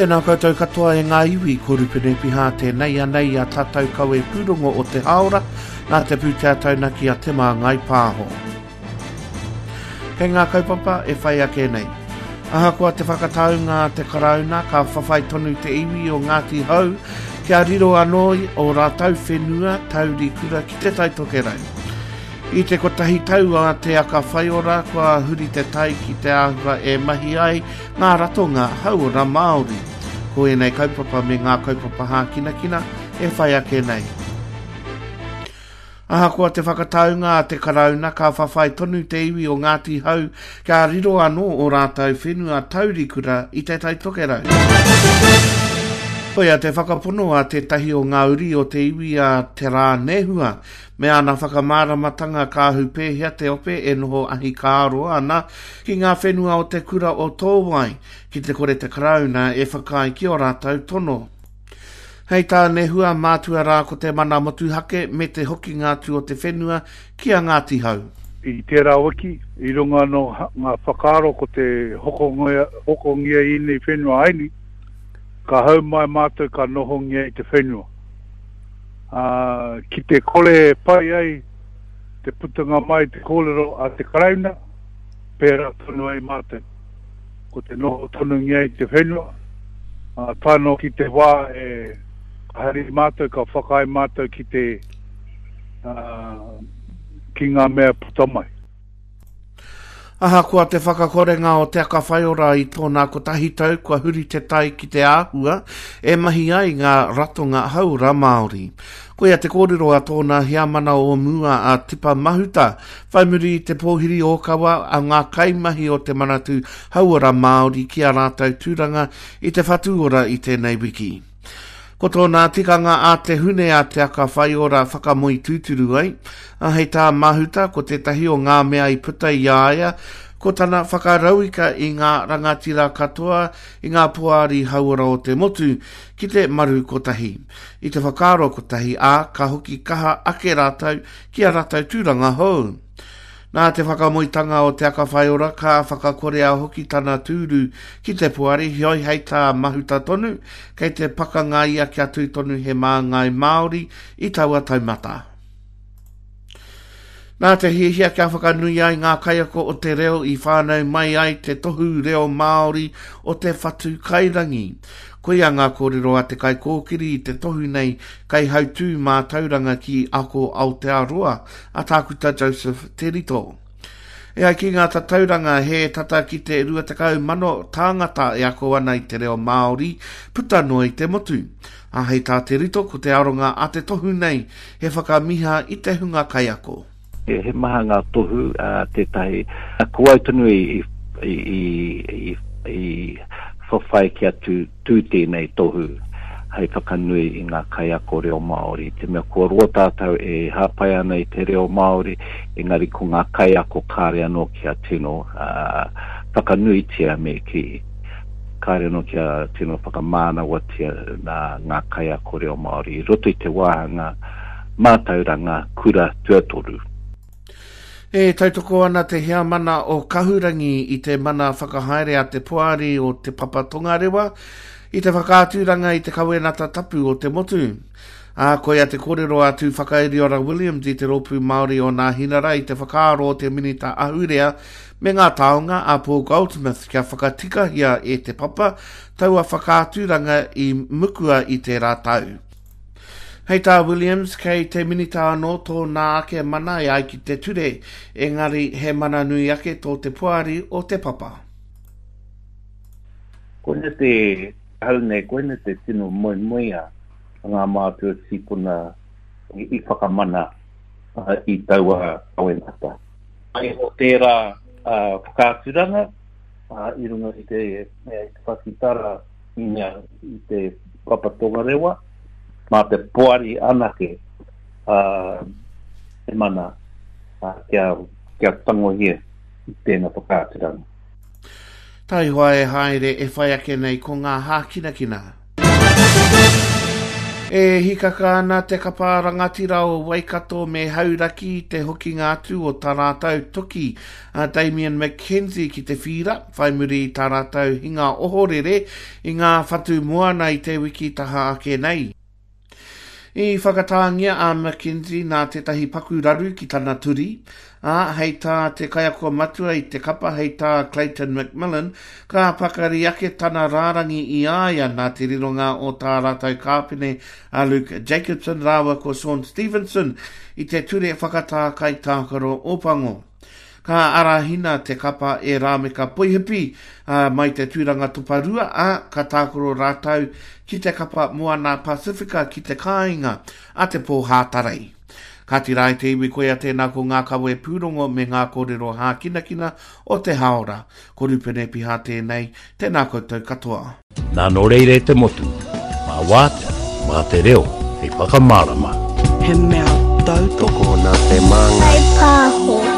Tēnā koutou katoa e ngā iwi, ko Rupene Piha tēnei anei a tātou kawe pūrongo o te hāora, nā te pūtea taunaki a Te Māngai Pāho. Kei ngā kaupapa e whai ake nei. Ahakoa te whakataunga a te Karauna, ka whawhai tonu te iwi o Ngāti Hau kia riro anō o rātou whenua taurikura ki Te Tai Tokerau. I te kotahi tau a Te Aka Whaiora kua huri te tai ki te āhua e mahi ai ngā ratonga hauora Māori. Ko ēnei kaupapa me ngā kaupapa hākinakina e whai ake nei. Ahakoa te whakataunga a te Karauna ka whawhai tonu te iwi o Ngāti Hau kia riro anō ō rātou whenua taurikura i Te Tai Tokerau. Koia te whakapono a tētahi o ngā uri o te iwi a Te Rā Nehua Me ana whakamāramatanga ka ahu pēhea te ope e noho ahikāroa ana ki ngā whenua o te kura o Tōwai, ki te kore te Karauna e whakaae ki ō rātou tono. Hei tā Nehua, mātua rā ko te mana motuhake me te hokinga atu o te whenua ki a Ngāti Hau. I tērā wiki, i runga anō ngā whakaaro ko te hokongia ēnei whenua aini, ka hau mai mātou ka nohongia i te whenua. Ā, ki te kore e pai ai te putanga mai te kōrero a te Karauna, pērā tonu ai mātou. Ko te noho tonungia i te whenua, ā, tae noa ki te wā e ka hari mātou, ka whakaae mātou ki te, ā, ki ngā mea puta mai. Ahakoa te whakakorenga o Te Aka Whaiora i tōna kotahi tau kua huri te tai ki te āhua e mahi ai ngā ratonga hauora Māori. Koia te kōrero a tōna heamana o mua a Tipa Mahuta, whai muri i te pōhiri ōkawa a ngā kaimahi o te Manatū Hauora Māori ki ā rātou tūranga i te Whatu Ora i tēnei wiki. Ko tōna tikanga a te hune a Te Aka Whaiora whakamoe tūturu ai, ā, hei tā Mahuta ko tētahi o ngā mea i puta i a ia ko tana whakarauika i ngā rangatira katoa i ngā poari hauora o te motu ki te maru kotahi, i te whakaaro kotahi, ā, ka hoki kaha ake rātou ki a rātou tūranga hou. Nā te whakamoetanga o Te Aka Whaiora ka whakakorea hoki tana tūru ki te poari, heoi hei tā Mahuta tonu, kei te pakanga ia kia tū tonu he māngai Māori i taua taumata. Nā te hiahia kia whakanui ai ngā kaiako o te reo i whānau mai ai te tohu reo Māori o te whatu kairangi. Koia ngā kōrero a te kaikōkiri i te tohu nei kaihautū mātauranga ki Ako Aotearoa, a Tākuta Joseph Te Rito. E ai ki ngā tatauranga he tata ki te 20,000 tāngata e ako ana i te reo Māori puta noa i te motu. Ā, hei tā Te Rito ko te aronga a te tohu nei he whakamiha i te hunga kaiako. He maha ngā tohu a tētahi, ko au tonu i, i, i, i whawhai kia tū, tū tēnei tohu hei whakanui i ngā kaiako reo Māori. Te mea kua roa tātou e hāpai ana i te reo Māori, engari ko ngā kaiako kāre anō kia tino uh, whakanuitia me kī. Kāre anō kia tino whakamānawatia nā ngā kaiako reo Māori i roto i te wāhanga mātauranga kura tuatoru. E tautoko ana te heamana o Kahurangi i te mana whakahaere a te Poari o Te Papa Tongarewa i te whakaaturanga i te kawenata tapu o te motu. Ā, koia te kōrero a Tūwhakairiora Williams i te Rōpū Māori o Nāhinara i te whakaaro o te Minita Ahurea me ngā Taonga a Paul Goldsmith kia whakatikahia e Te Papa taua whakaaturanga i mukua i tērā tau. Hei tā Williams, kei te Minita anō tōna ake mana e ai ki te ture, engari he mana nui ake tō te Poari o Te Papa. Koina te hau nei, koina te tino moemoeā a ngā mātua tīpuna i whakamana i taua kawenata. Waiho tērā whakaaturanga i runga i te pakitara i te Papa Tongarewa, mā te poari anake te mana kia, kia tangohia i tēnā whakaaturanga. Taihoa e haere e whai ake nei ko ngā hākinakina. E hikaka ana te kapa rangatira o Waikato me Hauraki i te hokinga atu o tā rātou toki a Damian McKenzie ki te whīra, whai muri i tā rātou hinga ohorere i ngā whatu moana i te wiki taha ake nei. I whakatāngia a McKenzie nā tētahi paku raru ki tana turi, ā, hei tā te kaiako matua i te kapa hei tā Clayton McMillan, ka pakari ake tana rārangi i a ia nā te rironga o tā rātou kāpene a Luke Jacobson rāua ko Shaun Stevenson i te ture whakatā kaitākaro Ōpango. Ka arahina te kapa e Rāmeka Poihipi, ā, mai te tūranga toparua, ā, ka tākaro rātou ki te kapa Moana Pasifika ki te kāinga a te pō Hātarei. Kāti rā e te iwi koia tēnā ko ngā kawe pūrongo me ngā kōrero hākinakina o te hāora. Ko Rupene Piha tēnei, tēnā koutou katoa. Nā nō reira e te motu, mā wātea, mā te reo hei whakamārama. He mea tautoko. Tokona te māngai. Whai pāho.